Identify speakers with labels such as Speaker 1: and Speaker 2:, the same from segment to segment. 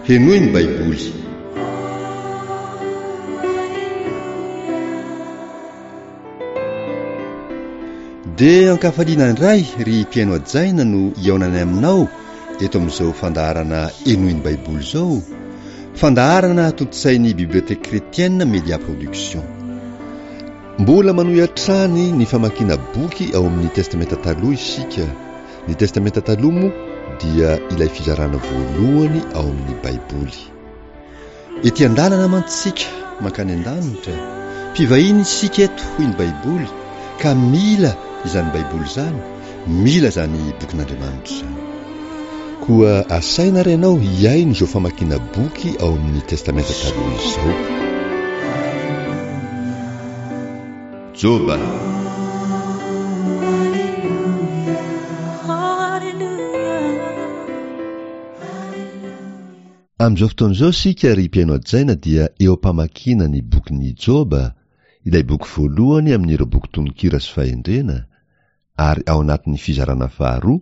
Speaker 1: Henoy ny Baiboly. Dia ankafaliana indray ry mpihaino hajaina no hihaonanay aminao eto amin'izao fandaharana Henoy ny Baiboly izao, fandaharana tontosain'ny Bibliothèque Chrétienne Média Production. Mbola manohy hatrany ny famakiana boky ao amin'ny Testamenta Taloha isika. Ny Testamenta Taloha moa dia ilay fizarana voalohany ao amin'ny Baiboly. Ety an-dalana mantsy isika mankany an-danitra, mpivahiny isika eto hoy ny Baiboly ka mila izany Baiboly izany, mila izany bokin'Andriamanitra izany. Koa asaina ary ianao hihaino izao famakiana boky ao amin'ny Testamenta Taloha izao. Joba. Amin'izao fotoana izao isika ry mpihaino hajaina dia eo am-pamakiana ny bokin'i Joba, ilay boky voalohany amin'ireo boky tononkira sy fahendrena, ary ao anatin'ny fizarana faharoa,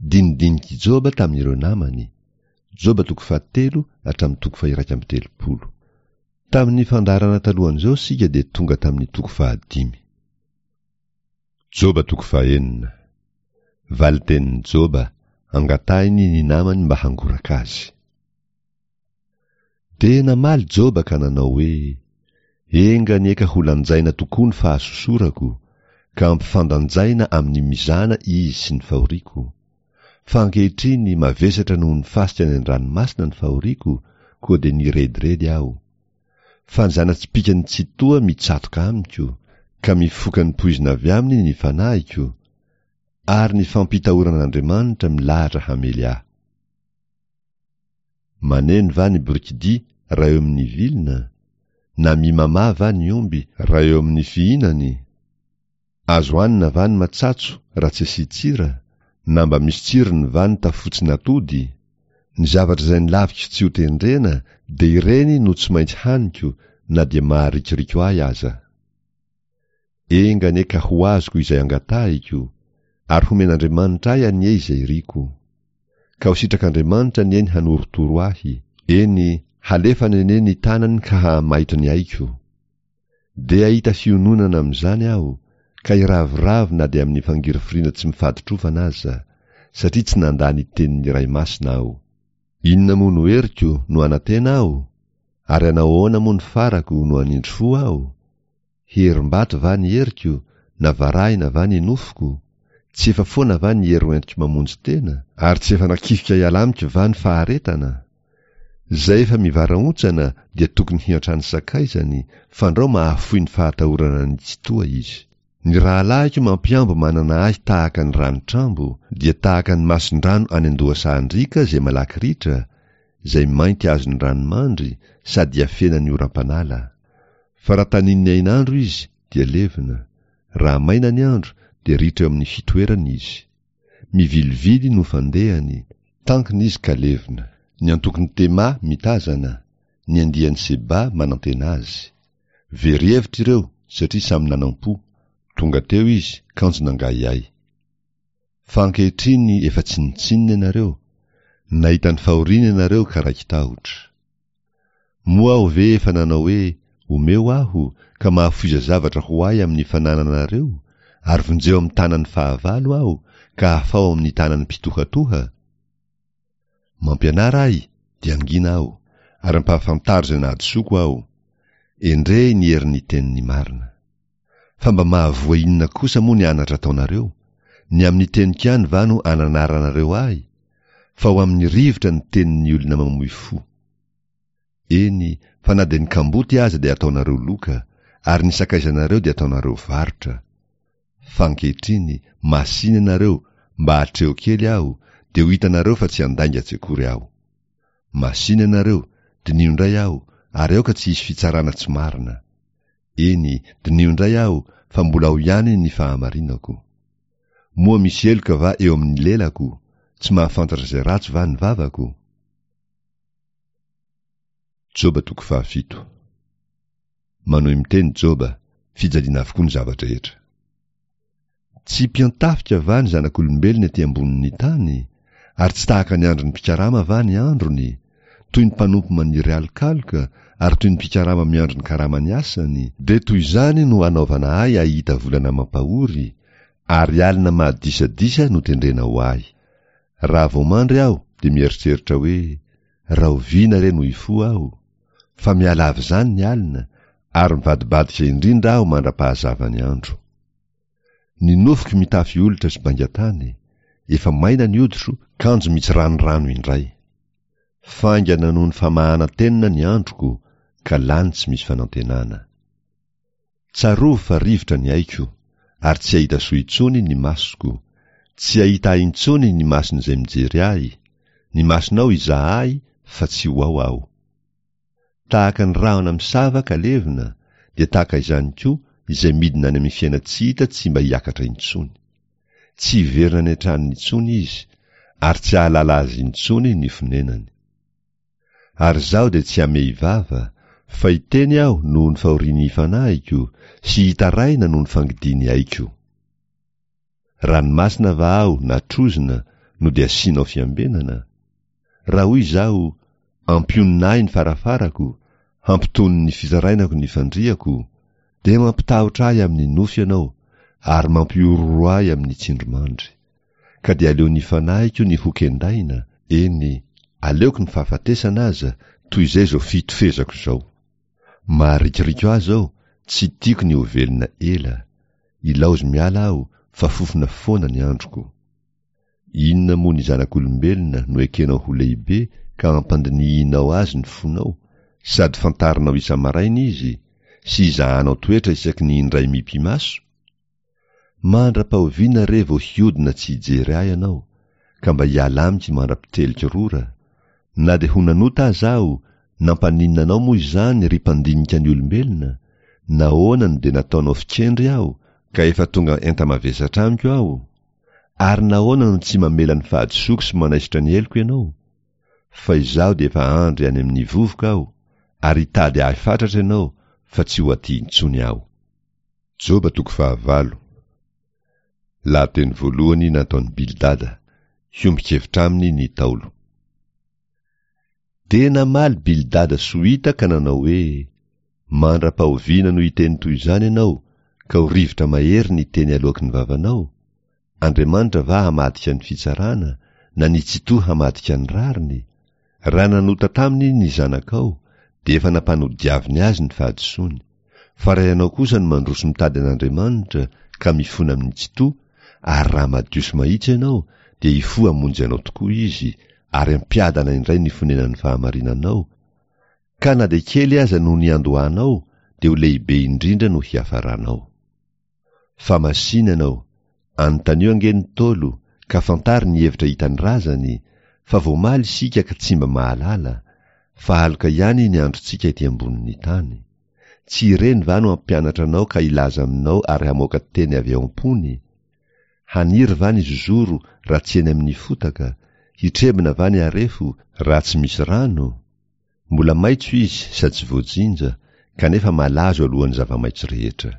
Speaker 1: Dinidinik'i Joba tamin'ireo namany, Joba toko fahatelo hatramin'ny toko faha-31. Tamin'ny fandaharana talohan'izao isika dia tonga tamin'ny toko fahadimy. Joba toko fahenina. Valin-tenin'i Joba, angatahiny ny namany mba hangoraka azy. Dia namaly Joba ka nanao hoe, Enga anie ka ho lanjaina tokoa ny fahasosorako, ka ampifandanjaina amin'ny mizana izy sy ny fahoriako. Fa ankehitriny mavesatra noho ny fasika any an-dranomasina ny fahoriako, koa dia nirediredy aho. Fa ny zana-tsipìkan'ny Tsitoha mitsatoka amiko, ka mifoka ny poizina avy aminy ny fanahiko, ary ny fampitahoran'Andriamanitra milahatra hamely ahy. Maneno va ny borikidia raha eo amin'ny vilona? Na mimamà va ny omby raha eo amin'ny fihinany? Azo hanina va ny matsatso raha tsy asian-tsira? Na mba misy tsirony va ny tafotsin'atody? Ny zavatra izay nolaviko tsy ho tendrena dia ireny no tsy maintsy haniko na dia maharikoriko ahy aza. Enga anie ka ho azoko izay angatahiko, ary homen'Andriamanitra ahy anie izay iriko. Ka ho sitrak'Andriamanitra anie ny hanorotoro ahy, eny, halefany anie ny tanany ka hahamaito ny aiko. Dia hahita fiononana amin'izany aho, ka hiraviravy na dia amin'ny fangirifiriana tsy mifaditrovana aza, satria tsy nandà ny tenin'ny Ray Masina aho. Inona moa no heriko no hanantena aho? Ary hanao ahoana moa ny farako no hanindry fo aho? Herim-bato va ny heriko, na varahina va ny nofoko? Tsy efa foana va ny hery hoentiko mamonjy tena? Ary tsy efa nakifika hiala amiko va ny faharetana? Izay efa mivarahontsana dia tokony hiantrano sakaizany, fandrao mahafoy ny fahatahorana ny Tsitoha izy. Ny rahalahiko mampihambo manana ahy tahaka ny ranotrambo, dia tahaka ny mason-drano any an-dohasahan-driaka izay malaky ritra, izay mainty azon'ny ranomandry sady iafenan'ny oram-panala. Fa raha tanin'ny hainandro izy dia levona, raha maina ny andro dia ritra eo amin'ny fitoerany izy. Mivilivily no fandehany, tankina izy ka levona. Ny antokon'i Tema mitazana, ny andian'i Seba manantena azy. Very hevitra ireo satria samy nanam-po, tonga teo izy kanjo nangahiahy. Fa ankehitriny efa tsinontsinona ianareo, nahita ny fahoriana ianareo ka raiki-tahotra. Moa aho ve efa nanao hoe, Omeo aho, ka mahafoiza zavatra ho ahy amin'ny fanananareo, ary vonjeo amin'ny tanan'ny fahavalo aho, ka afaho amin'ny tanan'ny mpitohatoha? Mampianara ahy, dia hangina aho, ary ampahafantaro izay nahadisoako aho. Endrey ny herin'ny teniny marina. Fa mba mahavoa inona kosa moa ny anatra ataonareo? Ny amin'ny teniko ihany va no ananaranareo ahy? Fa ho amin'ny rivotra ny tenin'ny olona mamoy fo. Eny, fa na dia ny kamboty aza dia ataonareo loka, ary ny sakaizanareo dia ataonareo varotra. Fa ankehitriny, masìna ianareo, mba atreho kely aho, dia ho hitanareo fa tsy handainga tsy akory aho. Masìna ianareo, diniho indray aho, ary aoka tsy hisy fitsarana tsy marina. Eny, diniho indray aho, fa mbola ao ihany ny fahamarinako. Moa misy heloka va eo amin'ny lelako? Tsy mahafantatra izay ratsy va ny vavako? Joba toko fahafito. Manohy miteny Joba, fijaliana avokoa ny zava-drehetra. Tsy mpiantafika va ny zanak'olombelona ety ambonin'ny tany? Ary tsy tahaka ny andron'ny mpikarama va ny androny? Toy ny mpanompo maniry alokaloka ary toy ny mpikarama miandry ny karaman'ny asany, dia toy izany no anaovana ahy hahita volana mampahory, ary alina mahadisadisa no tendrena ho ahy. Raha vao mandry aho dia mieritreritra hoe, Rahoviana re no hifoha aho? Fa miala avy izany ny alina, ary mivadibadika indrindra aho mandra-pahazavan'ny andro. Ny nofoko mitafy olitra sy baingan-tany, efa maina ny hoditro kanjo mitsiranirano indray. Faingana noho ny famahanan-tenona ny androko ka lany tsy misy fanantenana. Tsarovy fa rivotra ny aiko, ary tsy hahita soa intsony ny masoko, tsy hahita ahy intsony ny mason'izay mijery ahy, ny masonao hizaha ahy fa tsy ho ao aho. Tahaka ny rahona misava ka levona, dia tahaka izany koa izay midina any amin'ny fiainan-tsy hita tsy mba hiakatra intsony. Tsy hiverina any an-tranony intsony izy, ary tsy hahalala azy intsony ny fonenany. Ary izaho dia tsy hamehy vava, fa hiteny aho noho ny fahorian'ny fanahiko, sy hitaraina noho ny fangidian'ny aiko. Ranomasina va aho na trozona no dia asianao fiambenana? Raha hoy izaho, Ampionona ahy ny farafarako, hampitony ny fitarainako ny fandriako, dia mampitahotra ahy amin'ny nofy ianao, ary mampihorohoro ahy amin'ny tsindrimandry. Ka dia aleon'ny fanahiko ny ho kendaina, eny, aleoko ny fahafatesana aza, toy izay izao fitofezako izao. Maharikoriko ahy izao, tsy tiako ny ho velona ela. Ilaozy miala aho, fa fofona foana ny androko. Inona moa ny zanak'olombelona no ekenao ho lehibe ka ampandinihinao azy ny fonao, sady fantarinao isa-maraina izy, sy izahanao toetra isaky ny indray mipi-maso? Mandra-pahoviana re vao hiodina tsy hijery ahy ianao, ka mba hiala amiko mandra-piteliko rora? Na dia ho nanota aza aho, nampaninona anao moa izany ry mpandinika ny olombelona? Nahoana no dia nataonao fikendry aho, ka efa tonga enta-mavesatra amiko aho? Ary nahoana no tsy mamela ny fahadisoako sy manaisotra ny heloko ianao? Fa izaho dia efa andry any amin'ny vovoka aho, ary hitady ahy fatratra ianao, fa tsy ho aty intsony aho. Joba toko fahavalo. Lahateny voalohany nataon'i Bildada, hiombon-kevitra aminy ny Ntaolo. Dia namaly Bildada Sohita ka nanao hoe, Mandra-pahoviana no hiteny toy izany ianao, ka ho rivotra mahery ny teny aloaky ny vavanao? Andriamanitra va hamadika ny fitsarana, na ny Tsitoha hamadika ny rariny? Raha nanota taminy ny zanakao, dia efa nampanodiaviny azy ny fahadisoany. Fa raha ianao kosa no mandroso mitady an'Andriamanitra ka mifona amin'ny Tsitoha, ary raha madio sy mahitsy ianao, dia hifoha hamonjy anao tokoa Izy, ary hampiadana indray ny fonenan'ny fahamarinanao, ka na dia kely aza no niandohanao, dia ho lehibe indrindra no hiafaranao. Fa masina ianao, anontanio ange ny Ntaolo ka fantaro ny hevitra hitan'ny razany fa vao omaly isika ka tsy mba mahalala, fa aloka ihany ny androntsika ety ambonin'ny tany. Tsy ireny va no hampianatra anao ka hilaza aminao ary hamoaka teny avy ao am-pony? Haniry va ny zozoro raha tsy eny amin'ny fotaka? Hitrebona va ny harefo raha tsy misy rano? Mbola maitso izy sady tsy voajinja, kanefa malazo alohan'ny zava-maitso rehetra.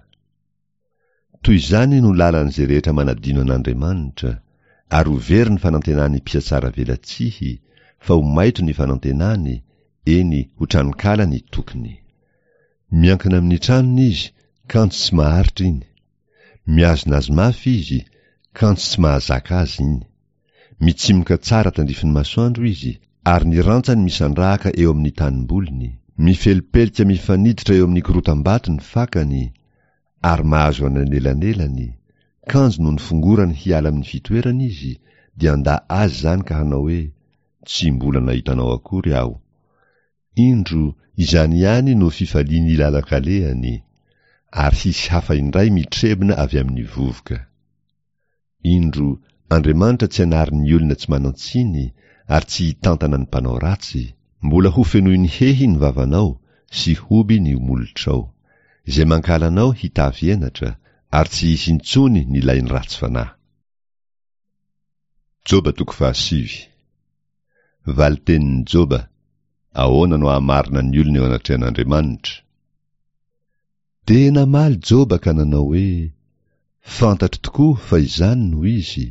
Speaker 1: Toy izany no lalan'izay rehetra manadino an'Andriamanitra, ary ho very ny fanantenan'ny mpihatsara velatsihy, fa ho maitso ny fanantenany, eny, ho tranonkala ny tokiny. Miankina amin'ny tranony izy, kanjo tsy maharitra iny. Mihazona azy mafy izy, kanjo tsy mahazaka azy iny. Mitsimoka tsara tandrifin'ny masoandro izy, ary ny rantsany misandrahaka eo amin'ny tanimboliny. Mifelipelika mifaniditra eo amin'ny korotam-bato ny fakany, ary mahazo anelanelany, kanjo nony fongorany hiala amin'ny fitoerany izy, dia handà azy izany ka hanao hoe, Tsy mbola nahita anao akory aho. Indro, izany ihany no fifalian'ny lalan-kalehany, ary hisy hafa indray mitrebona avy amin'ny vovoka. Indro, Andriamanitra tsy hanary ny olona tsy manan-tsiny ary tsy hitantana ny mpanao ratsy. Mbola hofenoiny hehy ny vavanao sy hoby ny molotrao. Izay mankahala anao hitafy henatra, ary tsy hisy intsony ny lain'ny ratsy fanahy. Joba toko fahasivy. Valin-tenin'i Joba, Ahoana no hahamarina ny olona eo anatrehan'Andriamanitra? Dia namaly Joba ka nanao hoe, Fantatro tokoa fa izany no izy,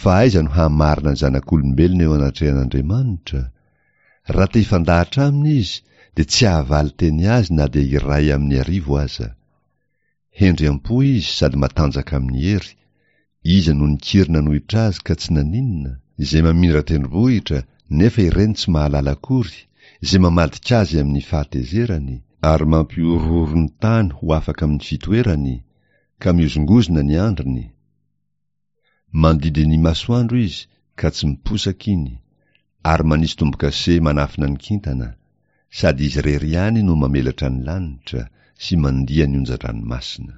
Speaker 1: fa aiza no hahamarina ny zanak'olombelona eo anatrehan'Andriamanitra? Raha te hifandahatra aminy izy, dia tsy hahavaly teny azy na dia iray amin'ny arivo aza. Hendry am-po izy sady matanjaka amin'ny hery, iza no nikiry nanohitra azy ka tsy naninona? Izay mamindra tendrombohitra nefa ireny tsy mahalala akory, izay mamadika azy amin'ny fahatezerany, ary mampihorohoro ny tany ho afaka amin'ny fitoerany, ka mihozongozona ny andriny. Mandidy ny masoandro izy ka tsy miposaka iny, ary manisy tombo-kase manafina ny kintana, sady izy irery ihany no mamelatra ny lanitra sy mandia ny onjan-dranomasina.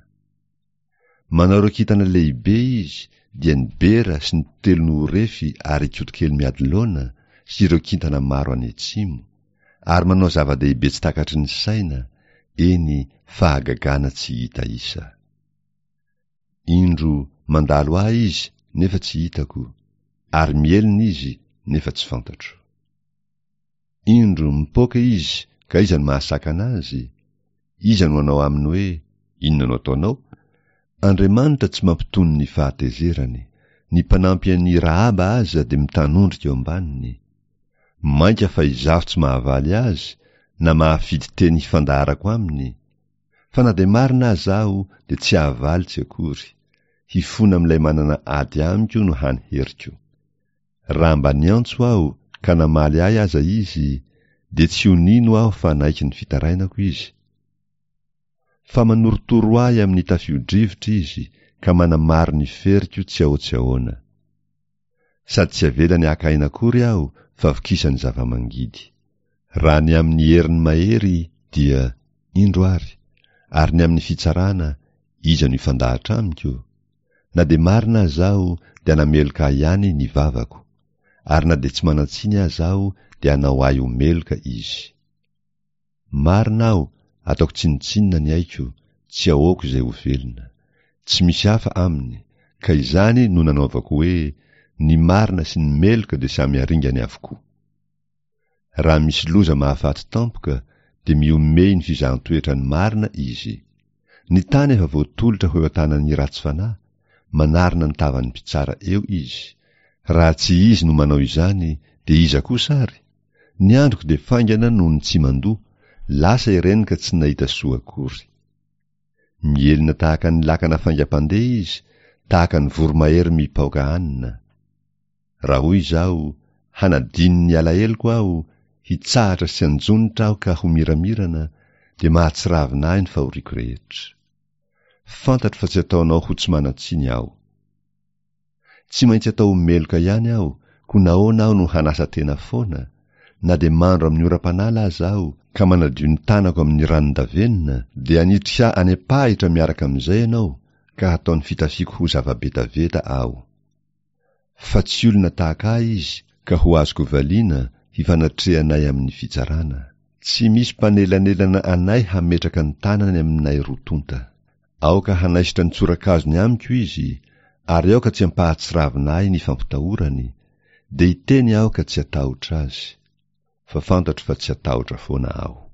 Speaker 1: Manao ireo kintana lehibe izy, dia ny Bera sy ny Telonohorefy ary Ikotokely Miadilaona sy ireo kintana maro any atsimo, ary manao zava-dehibe tsy takatry ny saina, eny fahagagana tsy hita isa. Indro, mandalo ahy izy, nefa tsy hitako, ary mihelina izy, nefa tsy fantatro. Indro, mipoaka izy, ka iza no mahasakana azy? Iza no hanao aminy hoe, Inona no ataonao? Andriamanitra tsy mampitony ny fahatezerany. Ny mpanampy an'i Rahaba aza dia mitanondrika eo ambaniny. Mainka fa izaho tsy mahavaly azy, na mahafidy teny hifandaharako aminy, Fa na dia marina aza aho dia tsy hahavaly tsy akory, hifona amin'ilay manana ady amiko no hany heriko. Raha mba niantso aho ka namaly ahy aza izy, dia tsy ho nino aho fa naiky ny fitarainako izy. Fa manorotoro ahy amin'ny tafio-drivotra izy ka manamaro ny feriko tsy ahoa-tsy ahoana. Sady tsy avelany haka aina akory aho fa vokisany zava-mangidy. Raha ny amin'ny heriny mahery dia, indro ary, ary ny amin'ny fitsarana, iza no hifandahatra amiko? Na dia marina aza aho dia hanameloka ahy ihany ny vavako, ary na dia tsy manan-tsiny aza aho dia hanao ahy ho meloka izy. Marina aho, ataoko tsinontsinona ny aiko, tsy ahoako izay ho velona. Tsy misy hafa aminy, ka izany no nanaovako hoe, ny marina sy ny meloka dia samy haringany avokoa. Raha misy loza mahafaty tampoka dia mihomehy ny fizahan-toetra ny marina izy. Ny tany efa voatolotra ho eo an-tanan'ny ratsy fanahy, manarona ny tavan'ny mpitsara eo izy. Raha tsy izy no manao izany dia iza kosa ary? Ny androko dia faingana noho ny tsimandoa, lasa ireny ka tsy nahita soa akory. Mihelina tahaka ny lakana faingam-pandeha izy, tahaka ny voromahery mipaoka hanina. Raha hoy izaho, Hanadino ny alaheloko aho, hitsahatra sy hanjonitra aho ka ho miramirana, dia mahatsiravina ahy ny fahoriako rehetra. Fantatro fa tsy ataonao ho tsy manan-tsiny aho. Tsy maintsy atao ho meloka ihany aho, koa nahoana aho no hanasa tena foana? Na dia mandro amin'ny oram-panala aza aho, ka manadio ny tanako amin'ny ranon-davenona, dia hanitrika any am-pahitra miaraka amin'izay ianao, ka hataon'ny fitafiako ho zava-betaveta aho. Fa tsy olona tahaka ahy izy ka ho azoko valiana hifanatrehanay amin'ny fitsarana. Tsy misy mpanelanelana anay hametraka ny tanany aminay roa tonta. Aoka hanaisotra ny tsorakazony amiko izy, ary aoka tsy hampahatsiravina ahy ny fampitahorany, dia hiteny aho ka tsy hatahotra azy. Fa fantatro fa tsy hatahotra foana aho.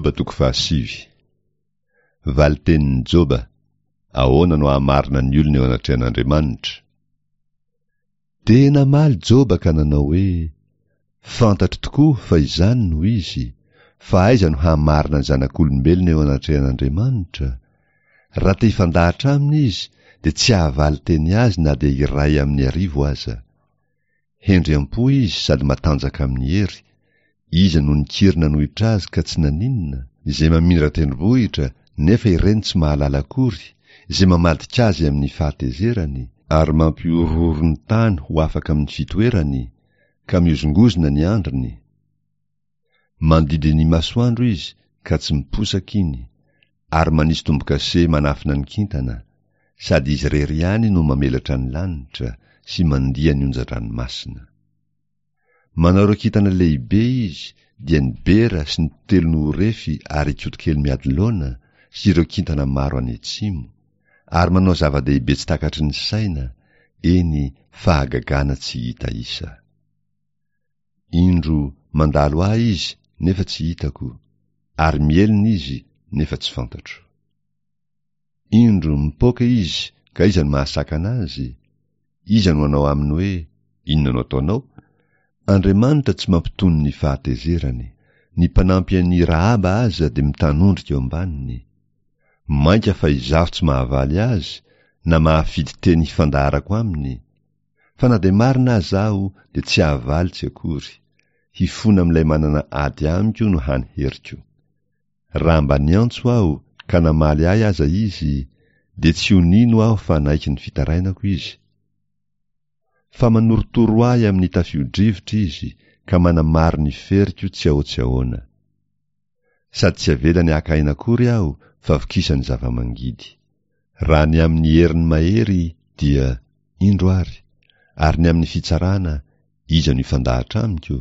Speaker 1: Joba toko fahasivy. Valin-tenin'i Joba, Ahoana no hahamarina ny olona eo anatrehan'Andriamanitra? Dia namaly Joba ka nanao hoe, Fantatro tokoa fa izany no izy, fa aiza no hahamarina ny zanak'olombelona eo anatrehan'Andriamanitra? Raha te hifandahatra aminy izy, dia tsy hahavaly teny azy na dia iray amin'ny arivo aza. Hendry am-po izy sady matanjaka amin'ny hery, iza no nikiry nanohitra azy ka tsy naninona? Izay mamindra tendrombohitra nefa ireny tsy mahalala akory, izay mamadika azy amin'ny fahatezerany, ary mampihorohoro ny tany ho afaka amin'ny fitoerany, ka mihozongozona ny andriny. Mandidy ny masoandro izy ka tsy miposaka iny, ary manisy tombo-kase manafina ny kintana, sady izy irery ihany no mamelatra ny lanitra sy mandia ny onjan-dranomasina. Manao ireo kintana lehibe izy, dia ny Bera sy ny Telonohorefy ary Ikotokelimiadilaona sy ireo kintana maro any atsimo, ary manao zava-dehibe tsy takatry ny saina, eny, fahagagana tsy hita isa. Indro, mandalo ahy izy, nefa tsy hitako, ary mihelina izy, nefa tsy fantatro. Indro, mipoaka izy, ka iza no mahasakana azy? Iza no hanao aminy hoe, Inona no ataonao? Andriamanitra tsy mampitony ny fahatezerany. Ny mpanampy an'i Rahaba aza dia mitanondrika eo ambaniny. Mainka fa izaho tsy mahavaly azy, na mahafidy teny hifandaharako aminy, Fa na dia marina aza aho dia tsy hahavaly tsy akory, hifona amin'ilay manana ady amiko no hany heriko. Raha mba niantso aho ka namaly ahy aza izy, dia tsy ho nino aho fa naiky ny fitarainako izy. Fa manorotoro ahy amin'ny tafio-drivotra izy ka manamaro ny feriko tsy ahoa-tsy ahoana. Sady tsy avelany haka aina akory aho fa vokisany zava-mangidy. Raha ny amin'ny heriny mahery dia, indro ary, ary ny amin'ny fitsarana, iza no hifandahatra amiko?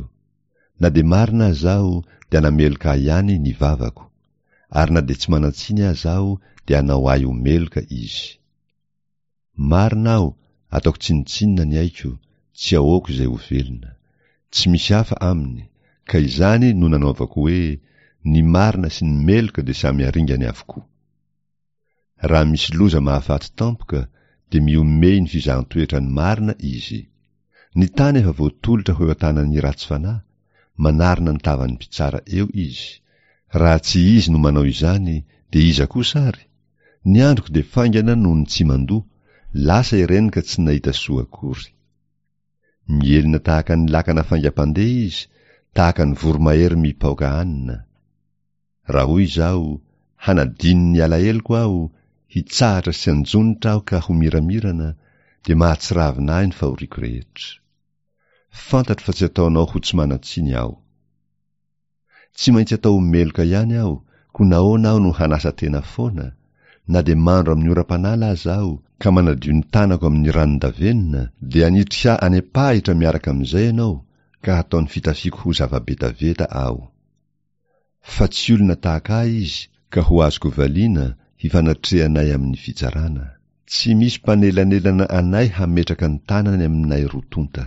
Speaker 1: Na dia marina aza aho dia hanameloka ahy ihany ny vavako, ary na dia tsy manan-tsiny aza aho dia hanao ahy ho meloka izy. Marina aho, ataoko tsinontsinona ny aiko, tsy ahoako izay ho velona. Tsy misy hafa aminy, ka izany no nanaovako hoe, ny marina sy ny meloka dia samy haringany avokoa. Raha misy loza mahafaty tampoka, dia mihomehy ny fizahan-toetra ny marina izy. Ny tany efa voatolotra ho eo an-tanan'ny ratsy fanahy, manarona ny tavan'ny mpitsara eo izy. Raha tsy izy no manao izany, dia iza kosa ary? Ny androko dia faingana noho ny tsy mandoa, lasa ireny ka tsy nahita soa akory. Mihelina tahaka ny lakana faingam-pandeha izy, tahaka ny voromahery mipaoka hanina. Raha hoy izaho, hanadino ny alaheloko aho, hitsahatra sy hanjonitra aho ka ho miramirana, dia mahatsiravina ahy ny fahoriako rehetra. Fantatro fa tsy ataonao ho tsy manan-tsiny aho. Tsy maintsy atao ho meloka ihany aho, koa nahoana aho no hanasa tena foana? Na dia mandro amin'ny oram-panala aza aho, ka manadio ny tanako amin'ny ranon-davenona, dia hanitrika ahy any am-pahitra miaraka amin'izay ianao, ka hataon'ny fitafiako ho zava-betaveta aho. Fa tsy olona tahaka ahy izy, ka ho azoko valiana, hifanatrehanay amin'ny fitsarana. Tsy misy mpanelanelana anay hametraka ny tanany aminay roa tonta.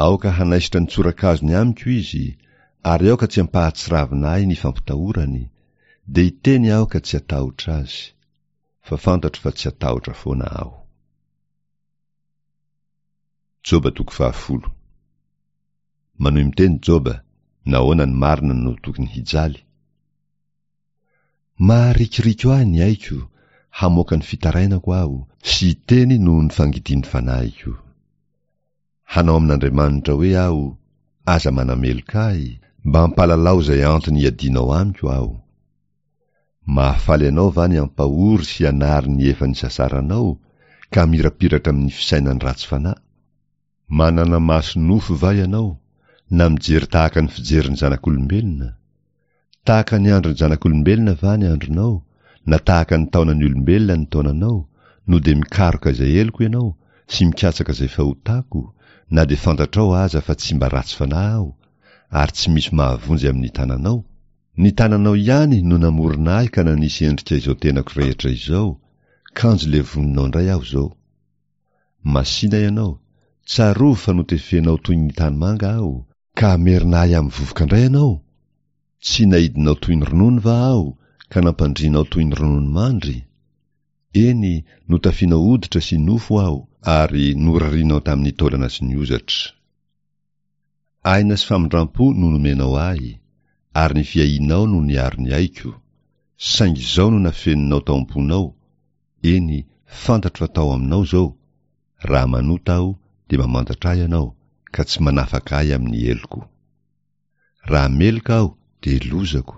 Speaker 1: Aoka hanaisotra ny tsorakazony amiko izy, ary aoka tsy hampahatsiravina ahy ny fampitahorany, dia hiteny aho ka tsy hatahotra azy. Fa fantatro fa tsy hatahotra foana aho. Joba toko fahafolo. Manohy miteny Joba, nahoana ny marina no tokony hijaly? Maharikoriko ahy ny aiko, hamoaka ny fitarainako aho, sy hiteny noho ny fangidian'ny fanahiko. Hanao amin'Andriamanitra hoe aho, Aza manameloka ahy, mba ampalalao izay antony iadianao amiko aho. Mahafaly anao va ny hampahory sy hanary ny efa nisasaranao, ka hamirapiratra amin'ny fisainan'ny ratsy fanahy? Manana maso nofo va ianao, na mijery tahaka ny fijerin'ny zanak'olombelona? Tahaka ny andron'ny zanak'olombelona va ny andronao, na tahaka ny taonan'ny olombelona ny taonanao, no dia mikaroka izay heloko ianao, sy mikatsaka izay fahotako, na dia fantatrao aza fa tsy mba ratsy fanahy aho, ary tsy misy mahavonjy amin'ny tananao? Ny tananao ihany no namorona ahy ka nanisy endrika izao tenako rehetra izao, kanjo levoninao indray aho izao. Masìna ianao, tsarovy fa notefenao toy ny tanimanga aho, ka hamerina ahy amin'ny vovoka indray ianao? Tsy naidinao toy ny ronono va aho ka nampandrianao toy ny ronono mandry? Eny, notafianao hoditra sy nofo aho ary norarianao tamin'ny taolana sy ny hozatra. Aina sy famindrampo no nomenao ahy, ary ny fiahianao no niaro ny aiko, saingy izao no nafeninao tao am-ponao, eny, fantatro fa tao aminao izao, raha manota aho dia mamantatra ahy ianao, ka tsy manafaka ahy amin'ny heloko. Raha meloka aho dia lozako,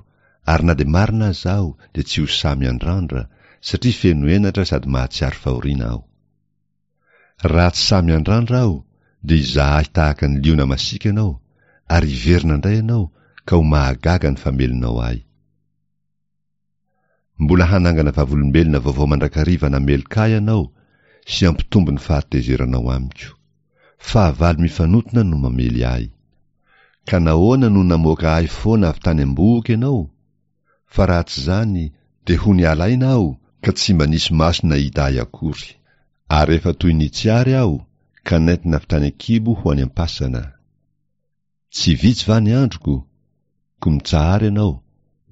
Speaker 1: ary na dia marina aza aho dia tsy ho sahy miandrandra, satria feno henatra sady mahatsiaro fahoriana aho. Raha tsy sahy miandrandra aho dia hizaha ahy tahaka ny liona masiaka ianao, ary hiverina indray ianao ka ho mahagaga ny famelonao ahy. Mbola hanangana vavolombelona vaovao mandrakariva nameloka ahy ianao sy hampitombo ny fahatezeranao amiko. Fahavalo mifanotona no mamely ahy. Ka nahoana no namoaka ahy foana avy tany am-bohoka ianao? Fa raha tsy izany dia ho niala aina aho ka tsy mba nisy maso nahita ahy akory. Ary efa toy ny tsy ary aho ka nentina avy tany an-kibo ho any am-pasana. Tsy vitsy va ny androko? Koa mitsahara ianao,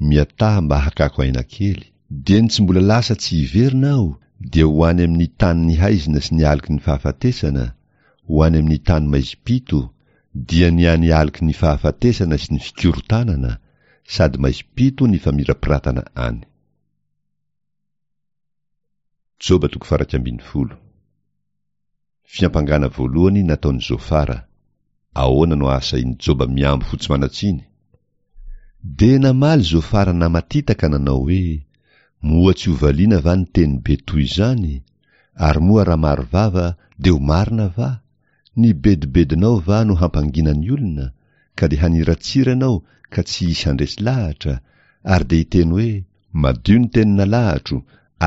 Speaker 1: miataha mba hakako aina kely. Dieny tsy mbola lasa tsy hiverina aho dia ho any amin'ny tanin'ny haizina sy ny aloky ny fahafatesana, ho any amin'ny tany maizim-pito, dia ny any aloky ny fahafatesana sy ny fikorontanana, sady maizim-pito ny famirapiratana any. Joba toko faha-11. Fiampangana voalohany nataon'i Zofara. Ahoana no ahasahian'i Joba mihambo ho tsy manan-tsiny? Dia namaly Zofara namatita ka nanao hoe, Moa tsy ho valiana va ny teny be toy izany? Ary moa raha maro vava dia ho marina va? Ny bedibedinao va no hampangina ny olona, ka dia haniratsira ianao ka tsy hisy handresy lahatra, ary dia hiteny hoe, Madio ny teny nalahatro,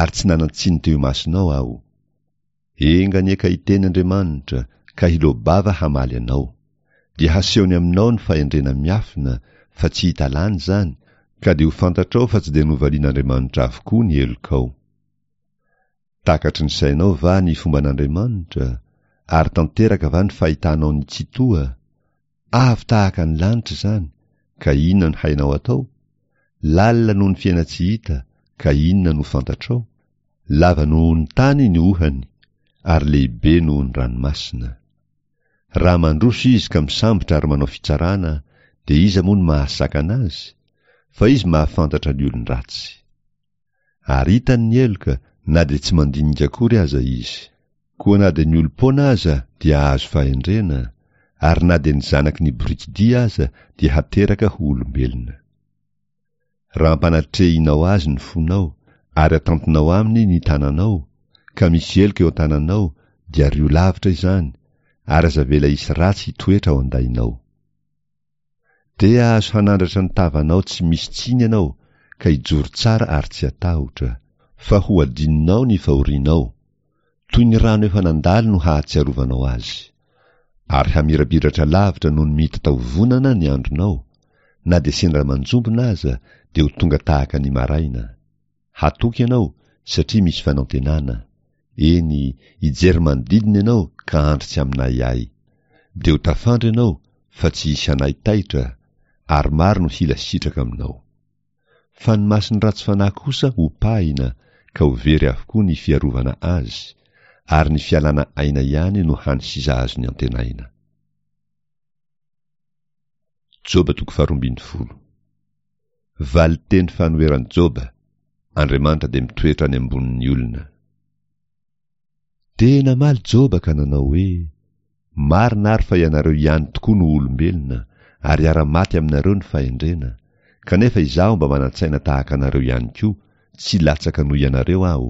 Speaker 1: ary tsy nanan-tsiny teo imasonao aho. Enga anie ka hiteny Andriamanitra, ka hiloa-bava hamaly anao. Dia hasehony aminao ny fahendrena miafina, fa tsy hita lany izany, ka dia ho fantatrao fa tsy dia novalian'Andriamanitra avokoa ny helokao. Takatry ny sainao va ny fomban'Andriamanitra, ary tanteraka va ny fahitanao ny Tsitoha? Avo tahaka ny lanitra izany, ka inona no hainao atao? Lalina noho ny fiainan-tsy hita, ka inona no fantatrao? Lava noho ny tany ny ohany, ary lehibe noho ny ranomasina. Raha mandroso izy ka misambotra ary manao fitsarana, dia iza moa no mahasakana azy? Fa izy mahafantatra ny olon-dratsy. Ary hitany ny heloka na dia tsy mandinika akory aza izy. Koa na dia ny olom-poana aza dia hahazo fahendrena, ary na dia ny zanaky ny borikidia aza dia hateraka ho olombelona. Raha ampanatrehinao azy ny fonao, ary atantinao aminy ny tananao, ka misy heloka eo an-tananao, dia ario lavitra izany, ary aza avela hisy ratsy hitoetra ao an-dainao. Dia azo hanandratra ny tavanao tsy misy tsiny ianao ka hijoro tsara ary tsy hatahotra, fa ho adinonao ny fahorianao, toy ny rano efa nandalo no hahatsiarovanao azy. Ary hamirapiratra lavitra noho ny mitatao-vonana ny andronao, na dia sendra manjombona aza dia ho tonga tahaka ny maraina. Hatoky ianao satria misy fanantenana. Eny, hijery manodidina ianao ka handry tsy amin'ahiahy. Dia ho tafandry ianao fa tsy hisy hanahy taitra, ary maro no hila sitraka aminao. Fa ny mason'ny ratsy fanahy kosa hopahina ka ho very avokoa ny fiarovana azy, ary ny fialana aina ihany no hany sisa azony antenaina. Joba toko faharoambinifolo. Valinteny fanoheran'i Joba, Andriamanitra dia mitoetra any ambonin'ny olona. Dia namaly Joba ka nanao hoe, Marina ary fa ianareo ihany tokoa no olombelona, ary hiara-maty aminareo ny fahendrena, kanefa izaho mba manan-tsaina tahaka anareo ihany koa, tsy latsaka noho ianareo aho,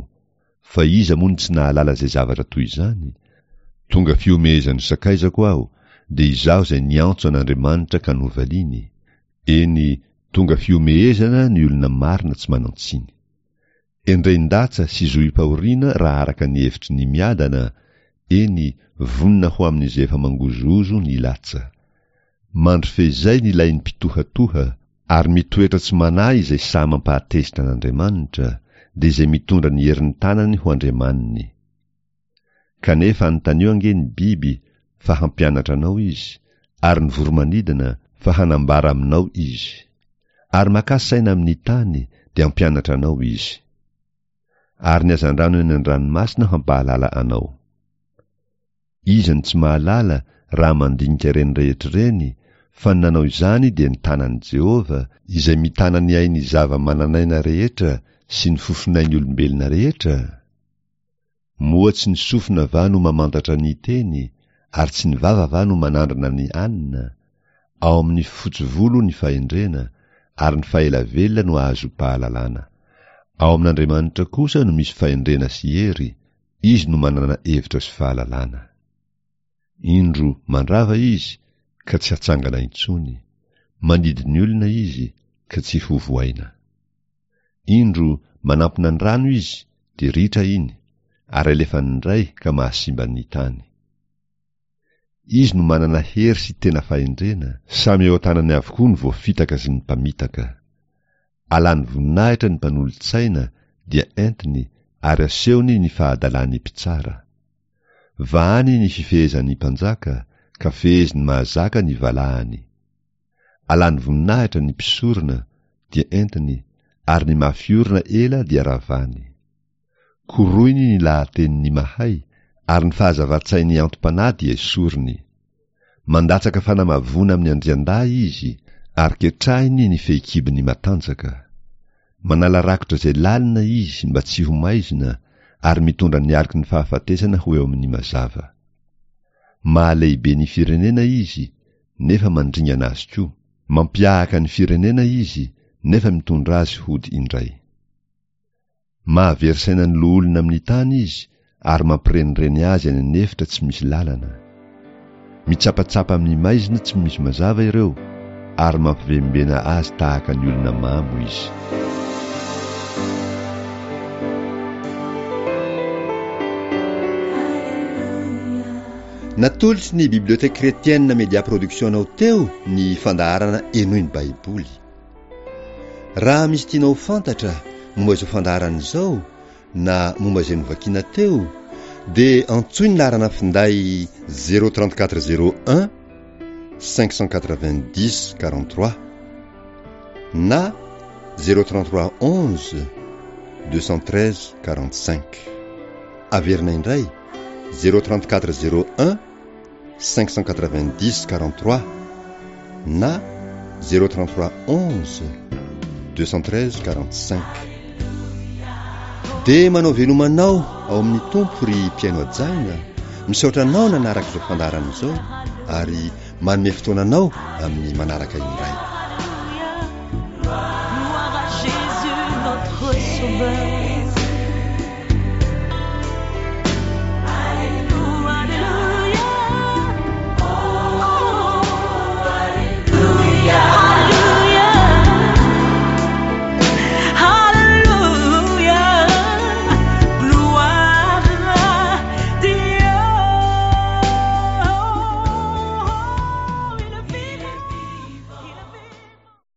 Speaker 1: Fa iza moa no tsy nahalala izay zavatra toy izany? Tonga fihomehezan'ny sakaizako aho, dia izaho izay niantso an'Andriamanitra ka novaliany. Eny, tonga fihomehezana ny olona marina tsy manan-tsiny. Endrein-datsa sy zohim-pahoriana raha araka ny hevitry ny miadana, eny, vonona ho amin'izay efa mangozohozo ny latsa. Mandry fehizay ny lain'ny mpitohatoha, ary mitoetra tsy manahy izay sahy mampahatezitra an'Andriamanitra, dia izay mitondra ny herin'ny tanany ho andriamaniny. Kanefa anontanio ange ny biby fa hampianatra anao izy, ary ny voro-manidina fa hanambara aminao izy. Ary makà saina amin'ny tany, dia hampianatra anao izy. Ary ny hazandrano eny an-dranomasina hampahalala anao. Iza no tsy mahalala raha mandinika ireny rehetra ireny, fa ny nanao izany dia ny tanan'i Jehovah, izay mitana ny ain'ny zava-manan'aina rehetra sy ny fofonain'ny olombelona rehetra? Moa tsy ny sofina va no mamantatra ny teny, ary tsy ny vava va no manandrana ny anina? Ao amin'ny fotsy volo ny fahendrena, ary ny fahela velona no ahazoam-pahalalana. Ao amin'Andriamanitra kosa no misy fahendrena sy hery, Izy no manana hevitra sy fahalalana. Indro mandrava Izy, ka tsy hatsangana intsony, mandidy ny olona Izy, ka tsy hovohaina. Indro manampina ny rano Izy, dia ritra iny, ary alefany indray ka mahasimba ny tany. Izy no manana hery sy tena fahendrena, samy eo an-tanany avokoa ny voafitaka sy ny mpamitaka. Alany voninahitra ny mpanolotsaina dia entiny ary asehony ny fahadalan'ny mpitsara. Vahany ny fifehezan'ny mpanjaka ka feheziny mahazaka ny valahany. Alany voninahitra ny mpisorona dia entiny ary ny mafy orina ela dia ravany. Koroiny ny lahatenin'ny mahay, ary ny fahazavan-tsain'ny antom-panahy dia esoriny. Mandatsaka fanamavoana amin'ny andriandahy izy, ary ketrahiny ny fehikibony matanjaka. Manala rakotra izay lalina izy mba tsy ho maizina, ary mitondra ny aloky ny fahafatesana ho eo amin'ny mazava. Mahalehibe ny firenena izy, nefa mandringana azy koa. Mampiahaka ny firenena izy, nefa mitondra azy hody indray. Mahavery saina ny loholona amin'ny tany izy ary mampirenireny azy any an'efitra tsy misy lalana. Mitsapatsapa amin'ny maizina tsy misy mazava ireo ary mampivembena azy tahaka ny olona mamo izy.
Speaker 2: Natolotry ny Bibliothèque Chrétienne Media Production anao teo ny fandaharana Henoy ny Baiboly. Raha misy tianao ho fantatra momba izao fandaharana izao na momba izay novakiana teo dia antsoy ny laharana finday 034 01 590 43 na 033 11 213 45. Averina indray 034 01 590 43 na 033 11 213 45. Dia manao veloma anao ao amin'ny Tompo ry mpihaino hajaina, misaotra anao nanaraka izao fandaharana izao ary manome fotoana anao amin'ny manaraka indray.
Speaker 3: Gloire à Jésus notre sauveur.